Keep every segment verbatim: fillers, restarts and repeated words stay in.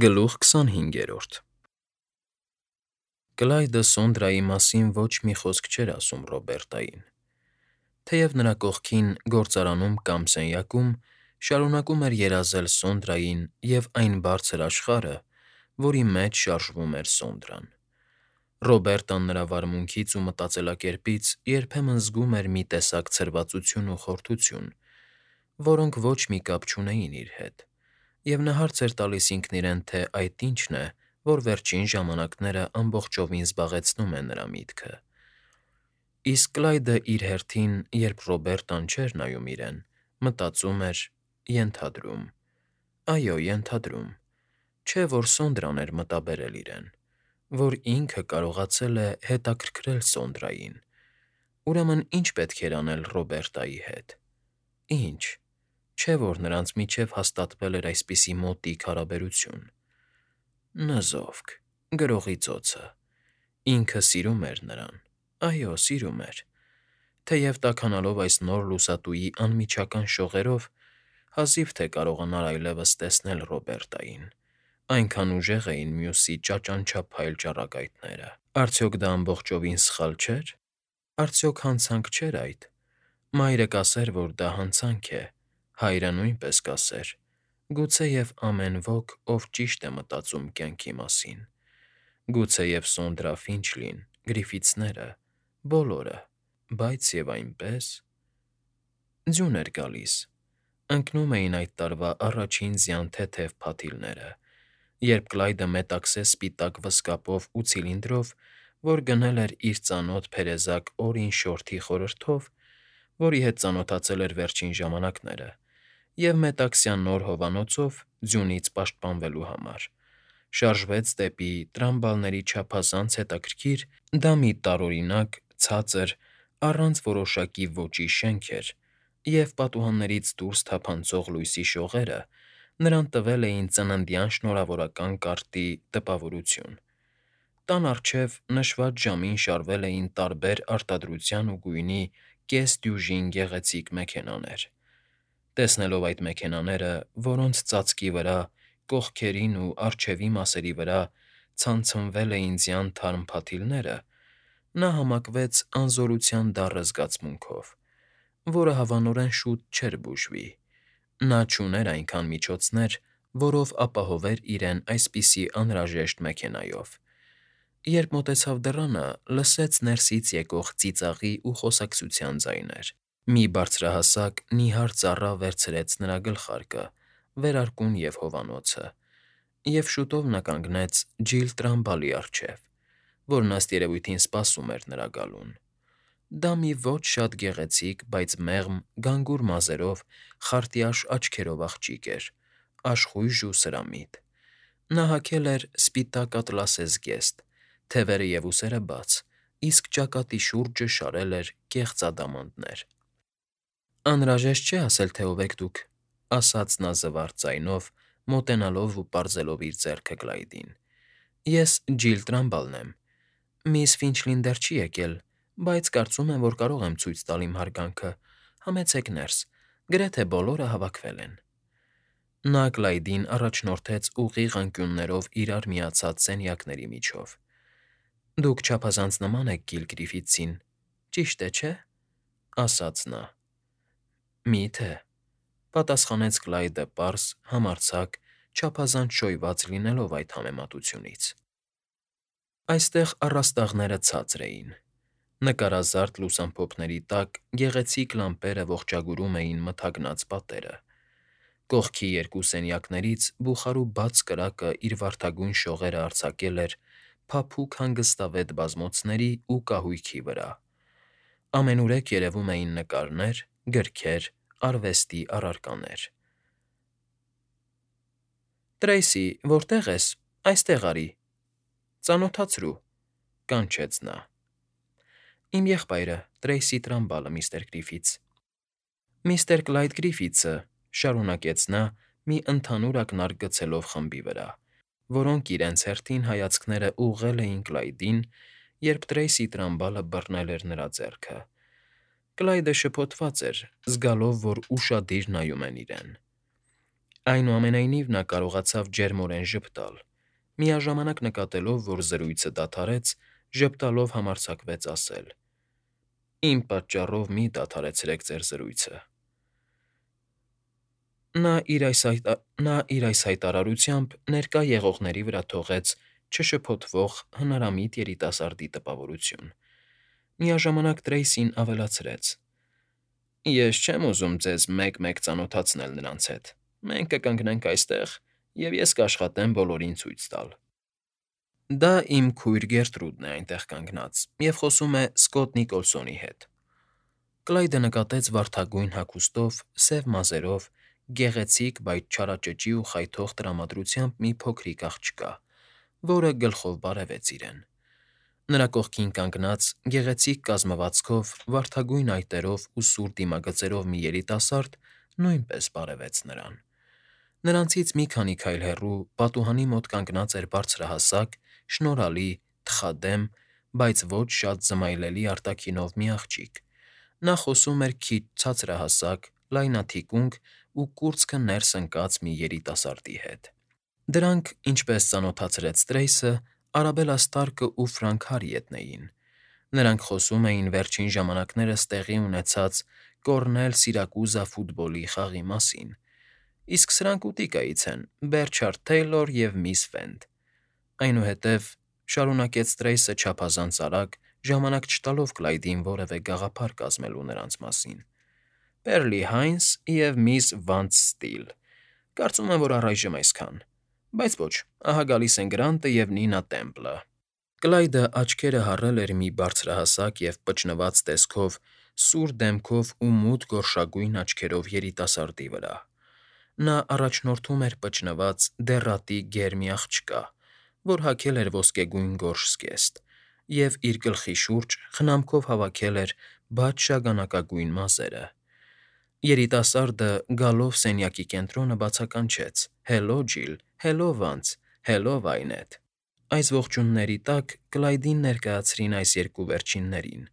Գլուխ քսանհինգերորդ Կլայդը Սոնդրայի մասին ոչ մի խոսք չէր ասում Ռոբերտային, թեև նրա կողքին գործարանում կամ սենյակում շարունակում էր երազել Սոնդրային և այն բարձր աշխարհը, որի մեջ շարժվում էր Սոնդրան։ Ռոբերտան նրա վարմունքից ու մտածելակերպից երբեմն զգում էր մի տեսակ ցրվածություն ու խորթություն, որոնք ոչ մի կապ չունեին իր հետ, և նա հարց էր տալիս ինքն իրեն, թե այդ ի՞նչն է, որ վերջին ժամանակները ամբողջովին զբաղեցնում է նրա միտքը։ Իսկ Կլայդը իր հերթին, երբ Ռոբերտան չէր նայում իրեն, մտածում էր, ենթադրում, այո, ենթադրում, չէ՞ որ Սոնդրան էր մտաբերել իրեն, որ ինքը կարողացել է հետաքրքրել Սոնդրային, ուրեմն ի՞նչ պետք էր անել Ռոբերտայի հետ։ Ի՞նչ, չէ՞ որ նրանց միջև հաստատվել էր այսպիսի մոտիկ հարաբերություն։ Նզովք, գրողի ծոցը, ինքը սիրում էր նրան, այո, սիրում էր, թեև տաքանալով այս նոր լուսատուի անմիջական շողերով, հազիվ թե կարողանար այլևս տեսնել Ռոբերտային, այնքան ուժեղ էին մյուսի ճաճանչափայլ ճառագայթները։ Արդյոք դա ամբողջովին սխալ չէր։ Արդյոք հանցանք չէր այդ։ Մայրը կասեր, որ դա հանցանք է, հայրը նույնպես կասեր, գուցեև ամեն ոք, ով ճիշտ է մտածում կյանքի մասին, գուցեև Սոնդրա Ֆինչլին, Գրիֆիթսները, բոլորը, բայց և այնպես… Ձյուն էր գալիս, ընկնում էին այդ տարվա առաջին ձյան թեթև փաթիլները, երբ Կլայդը մետաքսե սպիտակ վզկապով ու ցիլինդրով, որ գնել էր իր ծանոթ փերեզակ Օրին Շորթի խորհրդով, որի հետ ծանոթացել էր վերջին ժամանակները, և մետաքսյա նոր հովանոցով ձյունից պաշտպանվելու համար, շարժվեց դեպի տրամբալների չափազանց հետաքրքիր, դա մի տարօրինակ, ցածր, առանց որոշակի ոճի շենք էր, և պատուհաններից դուրս թափանցող լույսի շողերը նրան տվել էին ծննդյան շնորհավորական կարտի տպավորություն։ Տան առջև նշված ժամին շարվել էին տարբեր արտադրության ու գույնի կես դյուժին գեղեցիկ մեքենաներ։ Տեսնելով այդ մեքենաները, որոնց ծածկի վրա, կողքերին ու առջևի մասերի վրա ցանցնվել էին ձյան թարմ փաթիլները, նա համակվեց անզորության դառը զգացմունքով, որը հավանորեն շուտ չէր բուժվի։ Նա չուներ այնքան միջոցներ, որով ապահովեր իրեն այսպիսի անհրաժեշտ մեքենայով։ Երբ մոտեցավ դռանը, լսեց ներսից եկող ծիծաղի ու խոսակցության ձայներ։ Մի բարձրահասակ, նիհար ծառա վերցրեց նրա գլխարկը, վերարկուն և հովանոցը, և շուտով նա կանգնեց Ջիլ Տրամբալի առջև, որն ըստ երևույթին սպասում էր նրա գալուն։ Դա մի ոչ շատ գեղեցիկ, բայց մեղմ, գանգուր մազերով, խարտյաշ աչքերով աղջիկ էր, աշխույժ ու սրամիտ։ Նա հագել էր սպիտակ ատլասե զգեստ, թևերը և ուսերը բաց, իսկ ճակատի շուրջը շարել էր կեղծ ադամանդներ։ ֊ Անհրաժեշտ չէ ասել, թե ով եք դուք,֊ ասաց նա զվարթ ձայնով, մոտենալով ու պարզելով իր ձեռքը Կլայդին։֊ Ես Ջիլ Տրամբալն եմ։ Միս Ֆինչլին դեռ չի եկել, բայց կարծում եմ, որ կարող եմ ցույց տալ իմ հարգանքը։ Համեցեք ներս, գրեթե բոլորը հավաքվել են։ Նա Կլայդին առաջնորդեց ուղիղ անկյուններով իրար միացած սենյակների միջով։ Դուք չափազանց նման եք Գիլ Գրիֆիթսին, ճիշտ է, չէ՞, ասաց նա։ Մի՞թե,֊ պատասխանեց Կլայդը պարզ, համարձակ, չափազանց շոյված լինելով այդ համեմատությունից։ Այստեղ առաստաղները ցածր էին։ Նկարազարդ լուսամփոփների տակ գեղեցիկ լամպերը ողջագուրում էին մթագնած պատերը։ Կողքի երկու սենյակներից բուխարու բաց կրակը իր վարդագույն շողերը արձակել էր փափուկ հանգստավետ բազմոցների ու կահույքի վրա։ Ամենուրեք երևում էին նկարներ, գրքեր, արվեստի առարկաներ։ ֊ Տրեյսի, որտե՞ղ ես, այստեղ արի, ծանոթացրու,֊ կանչեց նա։ ֊ Իմ եղբայրը՝ Տրեյսի Տրամբալը, միստր Գրիֆիթս։ ֊ Միստր Կլայդ Գրիֆիթսը,֊ շարունակեց նա, մի ընդհանուր ակնարկ գցելով խմբի վրա, որոնք իրենց հերթին հայացքները ուղղել էին Կլայդին, երբ Տրեյսի Տրամբալը բռնել էր նրա ձեռքը։ Կլայդը շփոթված էր, զգալով, որ ուշադիր նայում են իրեն։ Այնուամենայնիվ նա կարողացավ ջերմորեն ժպտալ, միաժամանակ նկատելով, որ զրույցը դադարեց, ժպտալով համարձակվեց ասել. «Իմ պատճառով մի՛ դադարեցրեք ձեր զրույցը»։ Նա իր այս հայտարարությամբ ներկա եղողների վրա թողեց չշփոթվող հնարամիտ երիտասարդի տպավորություն, միաժամանակ Տրեյսին ավելացրեց. «Ես չեմ ուզում ձեզ մեկ֊մեկ ծանոթացնել նրանց հետ, մենք կկանգնենք այստեղ, և ես կաշխատեմ բոլորին ցույց տալ»։ Դա իմ քույր Գերտրուդն է այնտեղ կանգնած և խոսում է Սքոթ Նիկոլսոնի հետ։ Կլայդը նկատեց վարդագույն հագուստով, սև մազերով, գեղեցիկ, բայց չարաճճի ու խայթող տրամադրությամբ մի փոքրիկ աղջկա, որը գլխով բարևեց իրեն։ Նրա կողքին կանգնած, գեղեցիկ կազմվածքով, վարդագույն այտերով ու սուր դիմագծերով մի երիտասարդ նույնպես բարևեց նրան։ Նրանցից մի քանի քայլ հեռու, պատուհանի մոտ կանգնած էր բարձրահասակ, շնորհալի, թխադեմ, բայց ոչ շատ զմայլելի արտաքինով մի աղջիկ։ Նա խոսում էր քիչ ցածրահասակ, լայնաթիկունք ու կուրծքը ներս ընկած մի երիտասարդի հետ։ Դրանք, ինչպես ծանոթացրեց Տրեյսը, Արաբելլա Ստարկն ու Ֆրանք Հարիեթն էին։ Նրանք խոսում էին վերջին ժամանակներս տեղի ունեցած Կոռնել֊Սիրակուզա ֆուտբոլի խաղի մասին, իսկ սրանք ուտիկայից են՝ Բերչարդ Թեյլոր և միս Վենդ։ Այնուհետև, շարունակեց Տրեյսը չափազանց արագ, ժամանակ չտալով Կլայդին որևէ գաղափար կազմելու նրանց մասին, Պերլի Հայնս և միս Վանց Ստիլ, կարծում եմ, որ առայժմ այսքան, բայց ոչ, ահա գալիս են Գրանտը և Նինա Տեմպլը։ Կլայդը աչքերը հառել էր մի բարձրահասակ և պճնված տեսքով, սուր դեմքով ու մութ գորշագույն աչքերով երիտասարդի վրա։ Նա առաջնորդում էր պճնված, դեռատի գեր մի աղջկա, որ հագել էր ոսկեգույն գորշ զգեստ և իր գլխի շուրջ խնամքով հավաքել էր բաց շագանակագույն մազերը։ Երիտասարդը, գալով սենյակի կենտրոնը, բացականչեց. «Հելո, Ջիլ, հելո, Վանց, հելո, Վայնեթ»։ Այս ողջույնների տակ Կլայդին ներկայացրին այս երկու վերջիններին,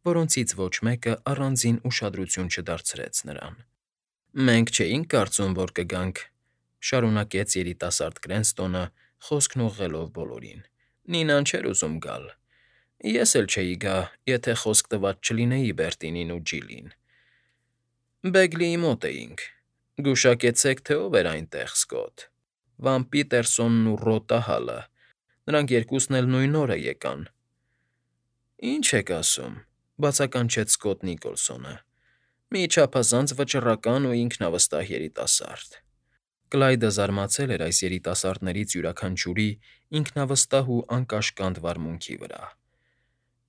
որոնցից ոչ մեկը առանձին ուշադրություն չդարձրեց նրան։ «Մենք չէինք կարծում, որ կգանք,֊ շարունակեց երիտասարդ Կրենստոնը, խոսքն ուղղելով բոլորին։֊ Նինան չէր ուզում գալ։ Ես էլ չէի գա, եթե խոսք տված չլինեի Բերտինին ու Ջիլին։ Բեգլիի մոտ էինք։ Գուշակեցեք, թե ով էր այնտեղ, Սքոթ։ Վամպիտերսոնն ու Ռոտա Հալը, նրանք երկուսն էլ նույն օրը եկան։ ֊ Ի՞նչ եք ասում,֊ բացականչեց Սքոթ Նիկոլսոնը։ Մի չափազանց վճռական ու ինքնավստահ երիտասարդ։ Կլայդը զարմացել էր այս երիտասարդներից յուրաքանչյուրի ինքնավստահ ու անկաշկանդ վարմունքի վրա։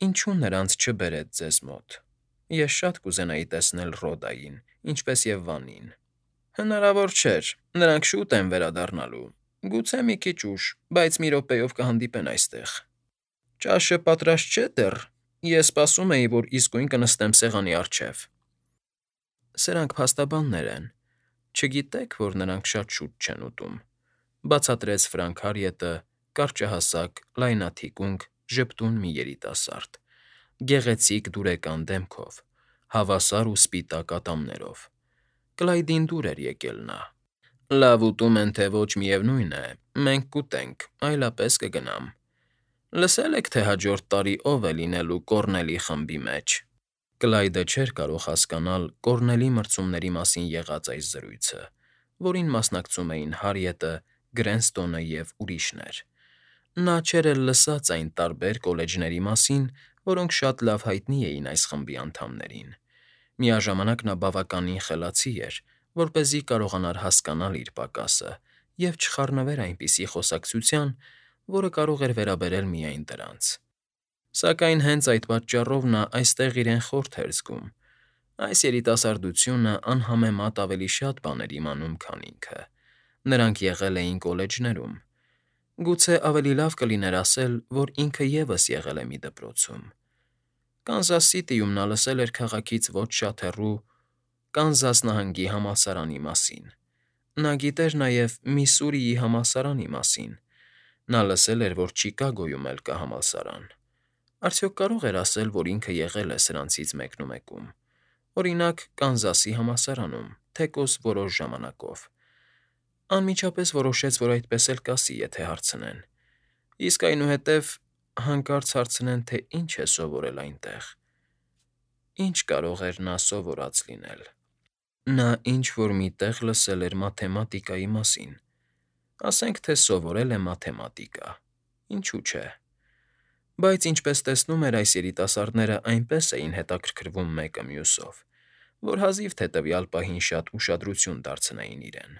Ինչո՞ւ նրանց չբերեց ձեզ մոտ։ Ես շատ կուզենայի տեսնել Ռոդային, ինչպես և Վանին։ Հնարավոր չէր, նրանք շուտ են վերադառնալու, գուցե մի քիչ ուշ, բայց մի րոպեով կհանդիպեն այստեղ։ Ճաշը պատրաստ չէ՞ դեռ։ Ես սպասում էի, որ իսկույն կնստեմ սեղանի առջև։ Սրանք փաստաբաններ են։ Չգիտե՞ք, որ նրանք շատ շուտ չեն ուտում,֊ բացատրեց Ֆրանք Հարիետը, կարճահասակ, լայնաթիկունք, ժպտուն մի երիտասարդ, գեղեցիկ դուրեկան դեմքով, հավասար ու սպիտակ ատամներով։ Կլայդին դուր էր եկել նա։ Լավ ուտում են, թե ոչ, միևնույն է, մենք կուտենք, այլապես կգնամ։ Լսե՞լ եք, թե հաջորդ տարի ով է լինելու Կոռնելի խմբի մեջ։ Կլայդը չէր կարող հասկանալ Կոռնելի մրցումների մասին եղած այս զրույցը, որին մասնակցում էին Հարիետը, Գրենստոնը և ուրիշներ։ Նա չէր էլ լսած այն տարբեր կոլեջների մասին, որոնք շատ լավ հայտնի էին այս խմբի անդամներին։ Միաժամանակ նա բավականին խելացի էր, որպեսզի կարողանար հասկանալ իր պակասը և չխառնվեր այնպիսի խոսակցության, որը կարող էր վերաբերել միայն դրանց։ Սակայն հենց այդ պատճառով նա այստեղ իրեն խորթ էր զգում։ Այս երիտասարդությունը անհամեմատ ավելի շատ բաներ իմանում, քան ինքը։ Նրանք եղել էին կոլեջներում։ Գուցե ավելի լավ կլիներ ասել, որ ինքը ևս եղել է մի դպրոցում։ Կանզաս Սիթիում նա լսել էր քաղաքից ոչ շատ հեռու Կանզաս նահանգի համալսարանի մասին։ Նա գիտեր նաև Միսսուրիի համալսարանի մասին։ Նա լսել էր, որ Չիկագոյում էլ կա համալսարան։ Արդյոք կարող էր ասել, որ ինքը եղել է սրանցից մեկնումեկում, օրինակ, Կանզասի համալսարանում, թեկուզ որոշ ժամանակով։ Անմիջապես որոշեց, որ այդպես էլ կասի, եթե հարցնեն, իսկ այնուհետև հանկարծ հարցնեն, թե ինչ է սովորել այնտեղ, ինչ կարող էր նա սովորած լինել. նա ինչ֊որ մի տեղ լսել էր մաթեմատիկայի մասին, ասենք թե սովորել է մաթեմատիկա, ինչու՞ չէ, բայց, ինչպես տեսնում էր, այս երիտասարդներն այնպես էին հետաքրքրվում մեկը մյուսով, որ հազիվ թե տվյալ պահին շատ ուշադրություն դարձնեին իրեն։